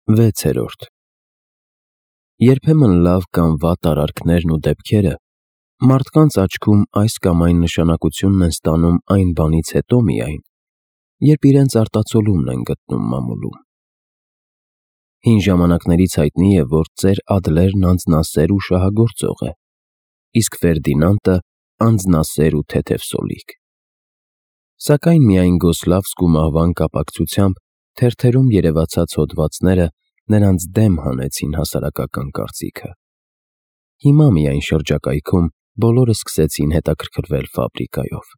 6. Երբեմն լավ կամ վատ արարքներն ու դեպքերը մարդկանց աչքում այս կամ այն նշանակությունն են ստանում այն բանից հետո միայն, երբ իրենց արտացոլումն են գտնում մամուլում։ Հին ժամանակներից հայտնի է, որ ծեր Ադլերն անձնասեր ու շահագործող է, իսկ Ֆերդինանդը անձնասեր ու թեթևսոլիկ։ Սակայն միայն Գոսլավսկու մահվան կապակցությամբ թերթերում երևացած հոդվածները նրանց դեմ հանեցին հասարակական կարծիքը։ Հիմա միայն շրջակայքում բոլորը սկսեցին հետաքրքրվել ֆաբրիկայով։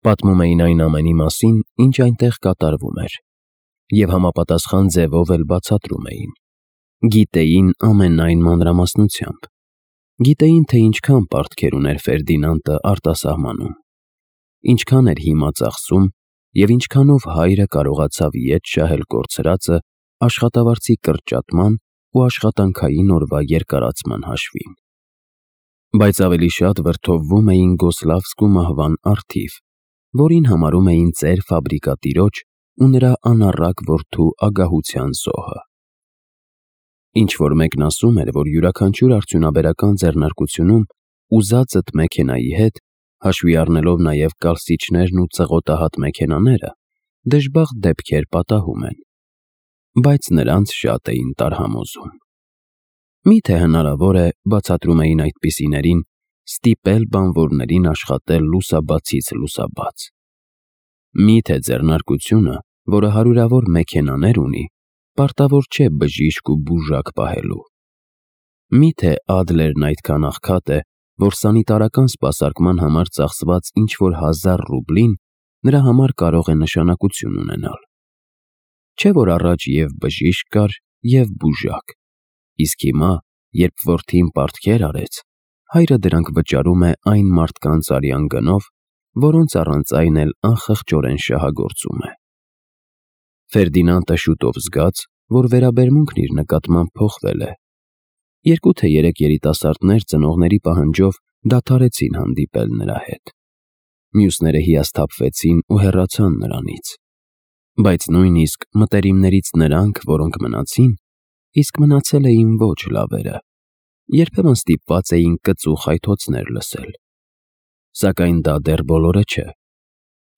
Պատմում էին այն ամենի մասին, ինչ այնտեղ կատարվում էր, և համապատասխան ձևով էլ բացատրում էին։ Գիտեին ամենայն մանրամասնությամբ։ Գիտեին, թե ինչքան պարտքեր ուներ Ֆերդինանդը արտասահմանում, ինչքան էր հիմա ծախսում և ինչքանով հայրը կարողացավ ետ շահել կորցրածը աշխատավարձի կրճատման ու աշխատանքային օրվա երկարացման հաշվին։ Բայց ավելի շատ վրդովվում էին Գոսլավսկու մահվան առթիվ, որին համարում էին ծեր ֆաբրիկատիրոջ ու նրա անառակ որդու ագահության զոհը։ Ինչ-որ մեկն ասում էր, որ յուրաքանչյուր արդյունաբերական ձեռնարկությունում ուզածդ մեքենայի հետ, հաշվի առնելով նաև կալսիչներն ու ծղոտահատ մեքենաները, դժբախտ դեպքեր պատահում են, բայց նրանց շատ էին տարհամոզում։ Միթե հնարավոր է, բացատրում էին այդպիսիներին, ստիպել բանվորներին աշխատել լուսաբացից լուսաբաց։ Միթե ձեռնարկությունը, որը հարյուրավոր մեքենաներ ունի, պարտավոր չէ բժիշկ ու բուժակ պահելու։ Միթե Ադլերն այդքան աղքատ է, որ սանիտարական սպասարկման համար ծախսված ինչ-որ 1000 ռուբլին նրա համար կարող է նշանակություն ունենալ։ Չէ՞ որ առաջ և բժիշկ կար, և բուժակ, իսկ հիմա, երբ որդին պարտքեր արեց, հայրը դրանք վճարում է այն մարդկանց արյան գնով, որոնց առանց այն էլ անխղճորեն շահագործում է։ Ֆերդինանդը շուտով զգաց, որ վերաբերմունքն իր նկատմամբ փոխվել է։ 2 թե 3 երիտասարդներ ծնողների պահանջով դադարեցին հանդիպել նրա հետ։ Մյուսները հիասթափվեցին ու հեռացան նրանից։ Բայց նույնիսկ մտերիմներից նրանք, որոնք մնացին, իսկ մնացել էին ոչ լավերը, երբեմն ստիպված էին կծու խայթոցներ լսել։ Սակայն դա դեռ բոլորը չէ։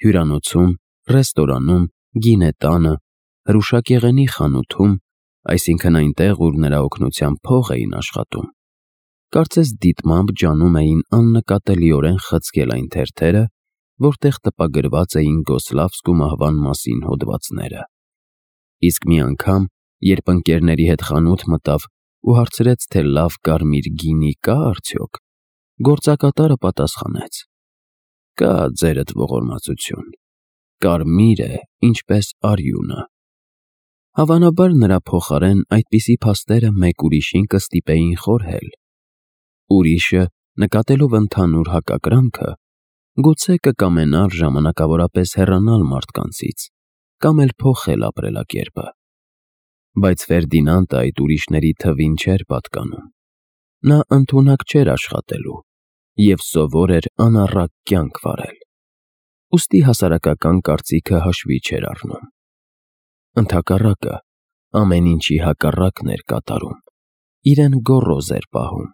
Հյուրանոցում, ռեստորանում, գինետանը, հրուշակեղենի խանութում, այսինքն այնտեղ, ուր նրա օգնությամբ փող էին աշխատում, կարծես դիտմամբ ջանում էին աննկատելիորեն խցկել այն թերթերը, որտեղ տպագրված էին Գոսլավսկու մահվան մասին հոդվածները։ Իսկ մի անգամ, երբ ընկերների հետ խանութ մտավ ու հարցրեց, թե լավ կարմիր գինի կա արդյոք, գործակատարը պատասխանեց. «Կա, ձերդ ողորմածություն, կարմիր է, ինչպես արյունը»։ Հավանաբար նրա փոխարեն այդպիսի փաստերը մեկ ուրիշին կստիպեին խորհել։ Ուրիշը, նկատելով ընդհանուր հակակրանքը, գուցե կկամենար ժամանակավորապես հեռանալ մարդկանցից կամ էլ փոխել ապրելակերպը։ Բայց Ֆերդինանդը այդ ուրիշների թվին չէր պատկանում։ Նա ընդունակ չէր աշխատելու և սովոր էր անառակ կյանք վարել։ Ուստի հասարակական կարծիքը հաշվի չէր առնում։ Ընդհակառակը, ամեն ինչի հակառակն էր կատարում, իրեն գոռոզ էր պահում։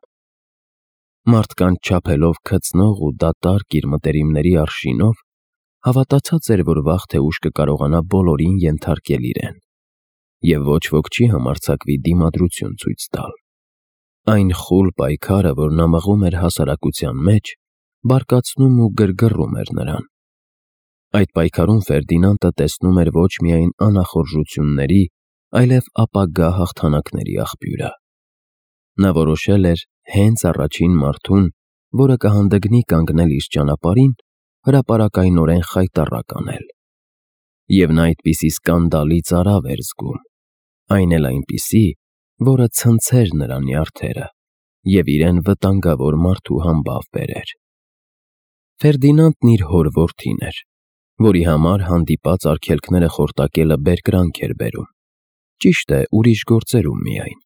Մարդկանց չափելով քծնող ու դատարկ իր մտերիմների արշինով, հավատացած էր, որ վաղ թե ուշ կկարողանա բոլորին ենթարկել իրեն, և ոչ ոք չի համարձակվի դիմադրություն ցույց տալ։ Այն խուլ պայքարը, որ նա մղում էր հասարակության մեջ, բարկացնում ու գրգռում էր նրան։ Այդ պայքարում Ֆերդինանդը տեսնում էր ոչ միայն անախորժությունների, այլև ապագա հաղթանակների աղբյուրը։ Նա որոշել էր հենց առաջին մարդուն, որը կհանդգնի կանգնել իր ճանապարհին, հրապարակայնորեն խայտառակ անել։ Եվ նա այդպիսի սկանդալի ծարավ էր զգում, այն էլ այնպիսի, որը ցնցեր նրա նյարդերը և իրեն վտանգավոր մարդու համբավ բերեր։ Ֆերդինանդն իր հոր որդին էր, որի համար հանդիպած արգելքները խորտակելը բերկրանք էր բերում, ճիշտ է, ուրիշ գործերում միայն։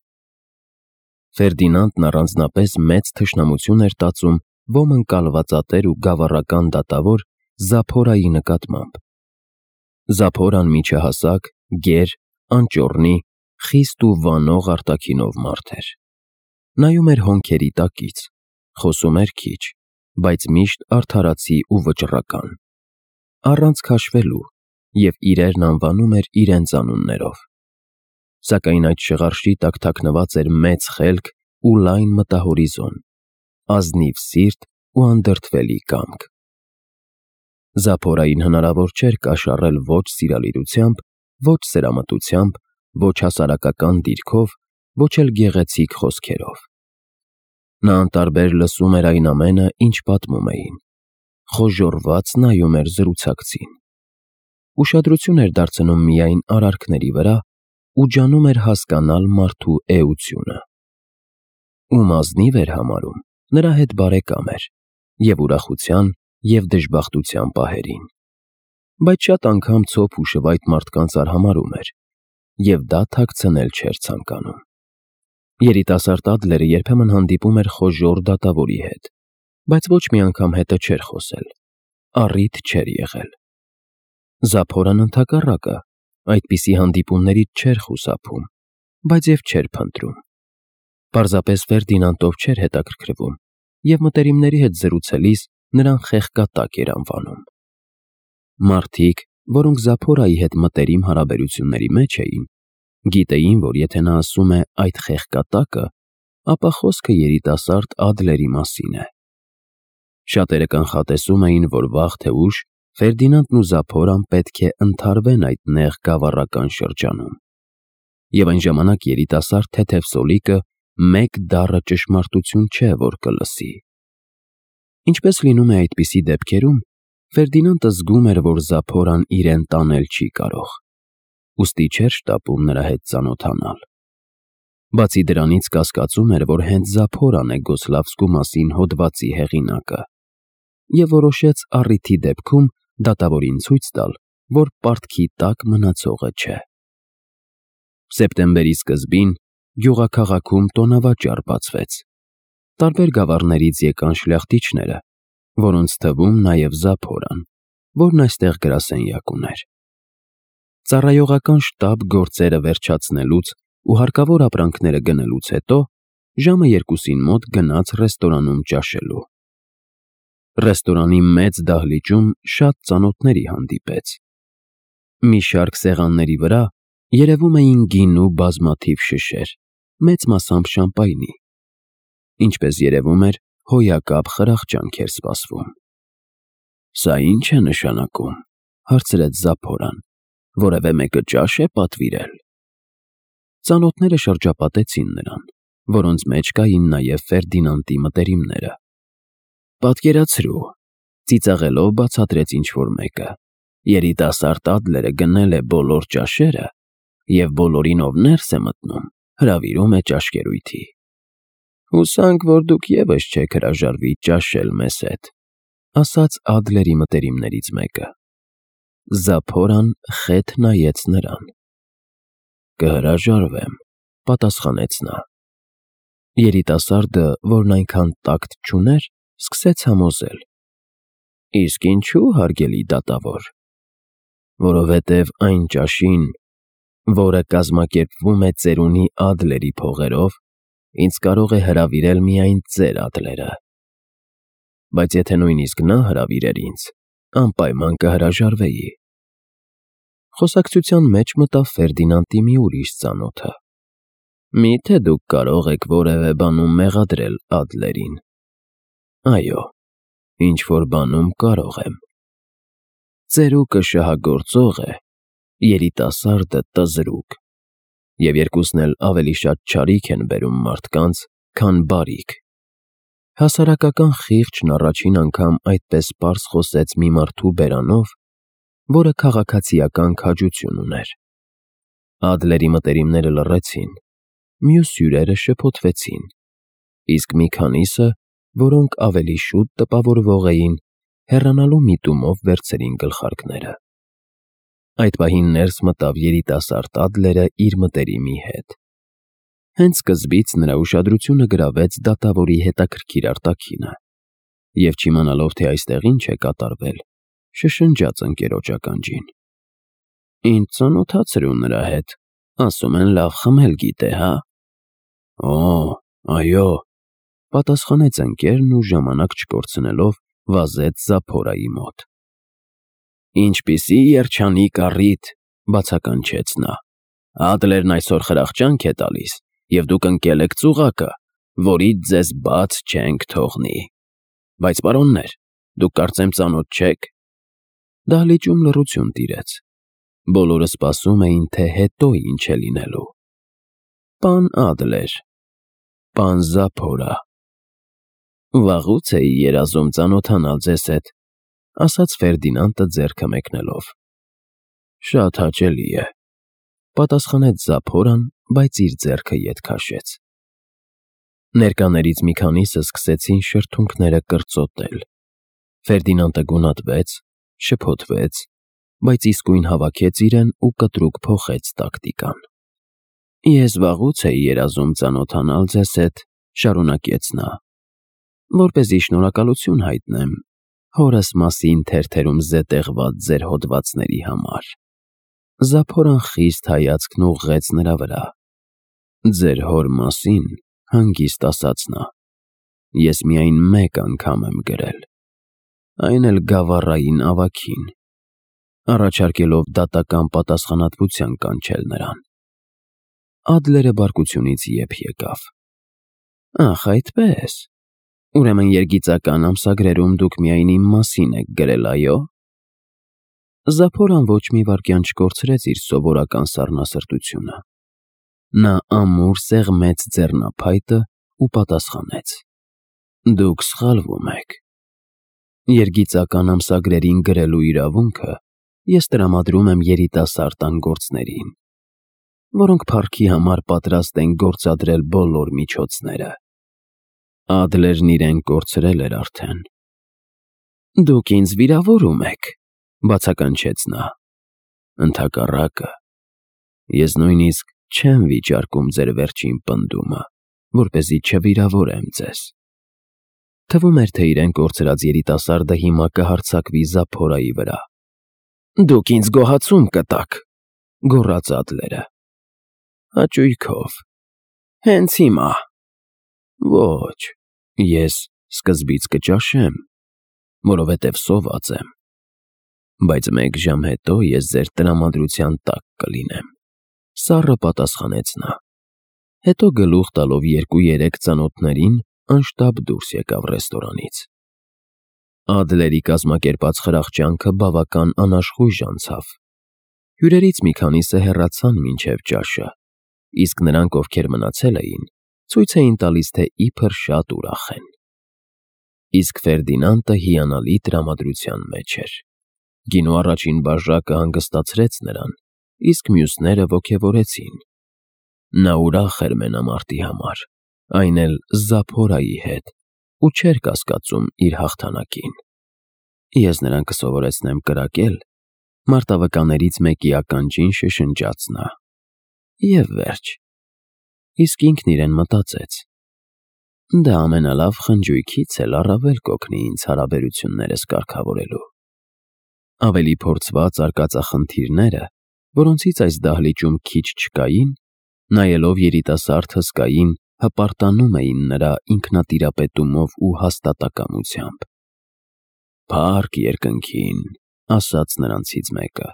Ֆերդինանդն առանձնապես մեծ թշնամություն էր տածում ոմն կալվածատեր ու գավառական դատավոր Զափորայի նկատմամբ։ Զափորան միջահասակ, գեր, անճոռնի, խիստ ու վանող արտաքինով մարդ էր։ Նայում էր հոնքերի տակից, խոսում էր քիչ, բայց միշտ արդարացի ու վճռական, առանց քաշվելու, և իրերն անվանում էր իրենց անուններով։ Սակայն այդ շղարշի տակ թաքնված էր մեծ խելք ու լայն մտահորիզոն, ազնիվ սիրտ ու անդրդվելի կամք։ Զափորային հնարավոր չէր կաշառել ոչ սիրալիրությամբ, ոչ սերամտությամբ, ոչ հասարակական դիրքով, ոչ էլ գեղեցիկ խոսքերով։ Նա անտարբեր լսում էր այն ամենը, ինչ պատմում էին, խոժոռված նայում էր զրուցակցին, ուշադրություն էր դարձնում միայն արարքների վրա ու ջանում էր հասկանալ մարդու էությունը։ Ում ազնիվ էր համարում, նրա հետ բարեկամ էր, և ուրախության, և դժբախտության պահերին, բայց շատ անգամ ցոփ ու շվայտ մարդկանց արհամարհում էր, և դա թաքցնել չէր ցանկանում։ Երիտասարդ Ադլերը երբեմն հանդիպում էր խոժոռ դատավորի հետ, բայց ոչ մի անգամ հետը չէր խոսել, առիթ չէր եղել։ Զափորն ընդհակառակը, այդպիսի հանդիպումներից չէր խուսափում, բայց և չէր փնտրում։ Պարզապես Ֆերդինանդով չէր հետաքրքրվում, և մտերիմների հետ զրուցելիս նրան խեղկատակ էր անվանում։ Մարդիկ, որոնք Զափորայի հետ մտերիմ հարաբերությունների մեջ էին, գիտեին, որ եթե նա ասում է այդ խեղկատակը, ապա խոսքը երիտասարդ Ադլերի մասին է։ Շատերը կանխատեսում էին, որ վաղ թե ուշ Ֆերդինանդն ու Զափորան պետք է ընդհարվեն այդ նեղ գավառական շրջանում, և այն ժամանակ երիտասարդ թեթև սոլիկը մեկ դառը ճշմարտություն չէ, որ կլսի։ Ինչպես լինում է այդպիսի դեպքերում, Ֆերդինանդը զգում էր, որ Զափորան իրեն տանել չի կարող, ուստի չէր շտապում նրա հետ ծանոթանալ։ Բացի դրանից կասկածում էր, որ հենց Զափորան է Գոսլավսկու մասին հոդվածի հեղինակը, և որոշեց առիթի դեպքում դատավորին ցույց տալ, որ պարտքի տակ մնացողը չէ։ Սեպտեմբերի սկզբին գյուղաքաղաքում տոնավաճառ բացվեց։ Տարբեր գավառներից եկան շլյախտիչները, որոնց թվում նաև Զափորան, որն այստեղ գրասենյակ ուներ։ Ծառայողական շտապ գործերը վերջացնելուց ու հարկավոր ապրանքները գնելուց հետո ժամը 2-ին մոտ գնաց ռեստորանում ճաշելու։ Ռեստորանի մեծ դահլիճում շատ ծանոթների հանդիպեց։ Մի շարք սեղանների վրա երևում էին գինու բազմաթիվ շշեր, մեծ մասամբ շամպայնի։ Ինչպես երևում էր, հոյակապ խրախճանք էր սպասվում։ «Սա ի՞նչ է նշանակում», հարցրեց Զափորան, «որևէ մեկը ճաշ է պատվիրել»։ Ծանոթները շրջապատեցին նրան, որոնց մեջ կային նաև Ֆերդինանդի մտերիմները։ «Պատկերացրու», ծիծաղելով բացատրեց ինչ-որ մեկը, «երիտասարդ Ադլերը գնել է բոլոր ճաշերը և բոլորին, ով ներս է մտնում, հրավիրում է ճաշկերույթի։ Հուսանք, որ դուք ևս չեք հրաժարվի ճաշել մեզ հետ», ասաց Ադլերի մտերիմներից մեկը։ Զափորան խեթ նայեց նրան։ «Կհրաժարվեմ», պատասխանեց նա։ Երիտասարդը, որն այնքան տակտ չուներ, սկսեց համոզել. «Իսկ ինչու, հարգելի դատավոր»։ «Որովհետև այն ճաշին, որը կազմակերպվում է ծերունի Ադլերի փողերով, ինձ կարող է հրավիրել միայն ծեր Ադլերը։ Բայց եթե նույնիսկ նա հրավիրեր ինձ, անպայման կհրաժարվեի»։ Խոսակցության մեջ մտավ Ֆերդինանդի մի ուրիշ ծանոթը։ «Մի՞թե դուք կարող եք որևէ բանում մեղադրել Ադլերին»։ «Այո, ինչ-որ բանում կարող եմ։ Ծերուկը շահագործող է, երիտասարդը տզրուկ, և երկուսն էլ ավելի շատ չարիք են բերում մարդկանց, քան բարիք»։ Հասարակական խիղճն առաջին անգամ այդպես պարզ խոսեց մի մարդու բերանով, որը քաղաքացիական քաջություն ուներ։ Ադլերի մտերիմները լռեցին, մյուս հյուրերը շփոթվեցին, իսկ մի քանիսը, որոնք ավելի շուտ տպավորվող էին, հեռանալու միտումով վերցրին գլխարկները։ Այդ պահին ներս մտավ երիտասարդ Ադլերը իր մտերիմի հետ։ Հենց սկզբից նրա ուշադրությունը գրավեց դատավորի հետաքրքիր արտաքինը, և չիմանալով, թե այստեղ ինչ է կատարվել, շշնջաց ընկերոջ ականջին. «Ինձ ծանոթացրու նրա հետ, Ասում են լավ խմել գիտե, հա։ Օ, այո, պատասխանեց ընկերն ու ժամանակ չկորցնելով վազեց Զափորայի մոտ։ Ինչպիսի երջանիկ առիթ, բացականչեց նա։ Ադլերն այսօր խրախճանք է տալիս, և դուք ընկել եք ծուղակը, որից ձեզ բաց չենք թողնի։ Բայց պարոններ, դուք կարծեմ ծանոթ չեք։ Դահլիճում լռություն տիրեց։ Բոլորը սպասում էին, թե հետո ինչ է լինելու։ Պան Ադլեր, պան Զափորա։ Վաղուց էի երազում ծանոթանալ ձեզ հետ, ասաց Ֆերդինանդը ձեռքը մեկնելով։ Շատ հաճելի է, պատասխանեց Զափորան, բայց իր ձեռքը ետ քաշեց։ Ներկաներից մի քանիսը սկսեցին շրթունքները կրծոտել։ Ֆերդինանդը գունատվեց, շփոթվեց, բայց իսկույն հավաքեց իրեն ու կտրուկ փոխեց տակտիկան։ Ես վաղուց էի երազում ծանոթանալ ձեզ հետ, շարունակեց նա, որպեսզի շնորհակալություն հայտնեմ հորս մասին թերթերում զետեղված ձեր հոդվածների համար։ Զափորան խիստ հայացքն ուղղեց նրա վրա։ Ձեր հոր մասին, հանգիստ ասաց նա, ես միայն մեկ անգամ եմ գրել, այն էլ գավառային ավագին, առաջարկելով դատական պատասխանատվության կանչել նրան։ Ադլերը բարկությունից եփ եկավ։ Ախ, այդպես։ Ուրեմն երգիծական ամսագրերում դուք միայն իմ մասին եք գրել, այո։ Զափորան ոչ մի վայրկյան չկորցրեց իր սովորական սառնասրտությունը։ Նա ամուր սեղմեց ձեռնափայտը ու պատասխանեց. Դուք սխալվում եք։ Երգիծական ամսագրերին գրելու իրավունքը ես տրամադրում եմ երիտասարդ անգործներին, որոնք փառքի համար պատրաստ են գործադրել բոլոր միջոցները։ Ադլերն իրեն կորցրել էր արդեն։ Դուք ինձ վիրավորում եք, բացականչեց նա։ Ընդհակառակը, ես նույնիսկ չեմ վիճարկում ձեր վերջին պնդումը, որպեսզի չվիրավորեմ ձեզ։ Թվում էր, թե իրեն կորցրած երիտասարդը հիմա կհարձակվի Զափորայի վրա։ Դուք ինձ գոհացում կտաք, գոռաց Ադլերը։ Հաճույքով։ Հենց հիմա։ Ոչ, ես սկզբից կճաշեմ, որովհետև սոված եմ, բայց մեկ ժամ հետո ես ձեր տրամադրության տակ կլինեմ, սառը պատասխանեց նա։ Հետո գլուխ տալով 2-3 ծանոթներին անշտապ դուրս եկավ ռեստորանից։ Ադլերի կազմակերպած խրախճանքը բավական անաշխույժ անցավ։ Հյուրերից մի քանիսը հեռացան մինչև ճաշը, իսկ նրանք, ովքեր մնացել էին, ցույց էին տալիս, թե իբր շատ ուրախ են։ Իսկ Ֆերդինանդը հիանալի տրամադրության մեջ էր։ Գինու առաջին բաժակը հանգստացրեց նրան, իսկ մյուսները ոգևորեցին։ Նա ուրախ էր մենամարտի համար, այն էլ Զափորայի հետ, ու չէր կասկածում իր հաղթանակին։ Ես նրան կսովորեցնեմ կրակել, մարտավկաներից մեկի ականջին շշնջաց նա։ Եվ վերջ։ Իսկ ինքն իրեն մտածեց. դա ամենալավ խնջույքից էլ առավել կօգնի ինձ հարաբերություններս կարգավորելու։ Ավելի փորձված արկածախնդիրները, որոնցից այս դահլիճում քիչ չկային, նայելով երիտասարդ հսկային, հպարտանում էին նրա ինքնատիրապետումով ու հաստատակամությամբ։ Փառք երկնքին, ասաց նրանցից մեկը,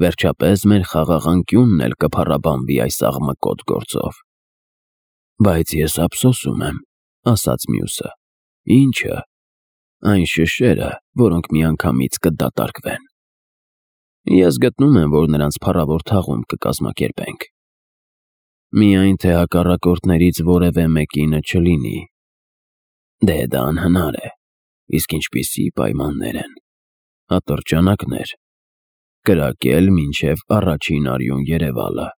վերջապես մեր խաղաղանկյունն էլ կփառաբանվի այս աղմկոտ գործով։ Բայց ես ափսոսում եմ, ասաց մյուսը։ Ինչը։ Այն շշերը, որոնք միանգամից կդատարկվեն։ Ես գտնում եմ, որ նրանց փառավոր թաղում կկազմակերպենք։ Միայն թե հակառակորդներից որևէ մեկինը չլինի։ Դե դա անհնար է, իսկ ինչպիսի պայմաններ են։ Ատրճանակներ, կրակել մինչև առաջին արյուն երևալը։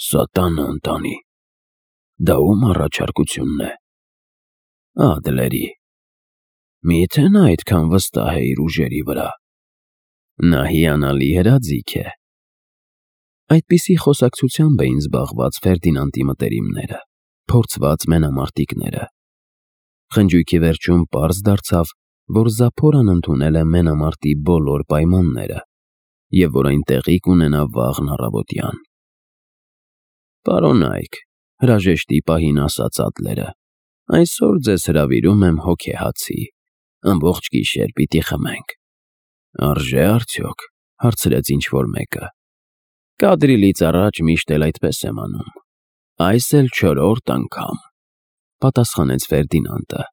Սատանա ընտանի, դա ում առաջարկությունն է։ Ադլերի, միթե նա այդքան վստահ է իր ուժերի վրա։ Նա հիանալի հրաձիգ է։ Այդպիսի խոսակցությամբ էին զբաղված Ֆերդինանդի մտերիմները, փորձված մենամարտիկները։ Խնջույքի վերջում պարզ դարձավ, որ Զափորան ընդունել է մենամարտի բոլոր պայմանները, և որ այն տեղի կունենա վաղն առավոտյան։ Պարոն Այք, հրաժեշտի պահին ասաց Ադլերը, այսօր ձեզ հրավիրում եմ հոգեհացի, ամբողջ գիշեր պիտի խմենք։ Արժե՞ արդյոք, հարցրեց ինչ-որ մեկը։ Կադրիլից առաջ միշտ էլ այդպես եմ անում։ Այս էլ 4-րդ անգամ, պատասխանեց Ֆերդինանդը։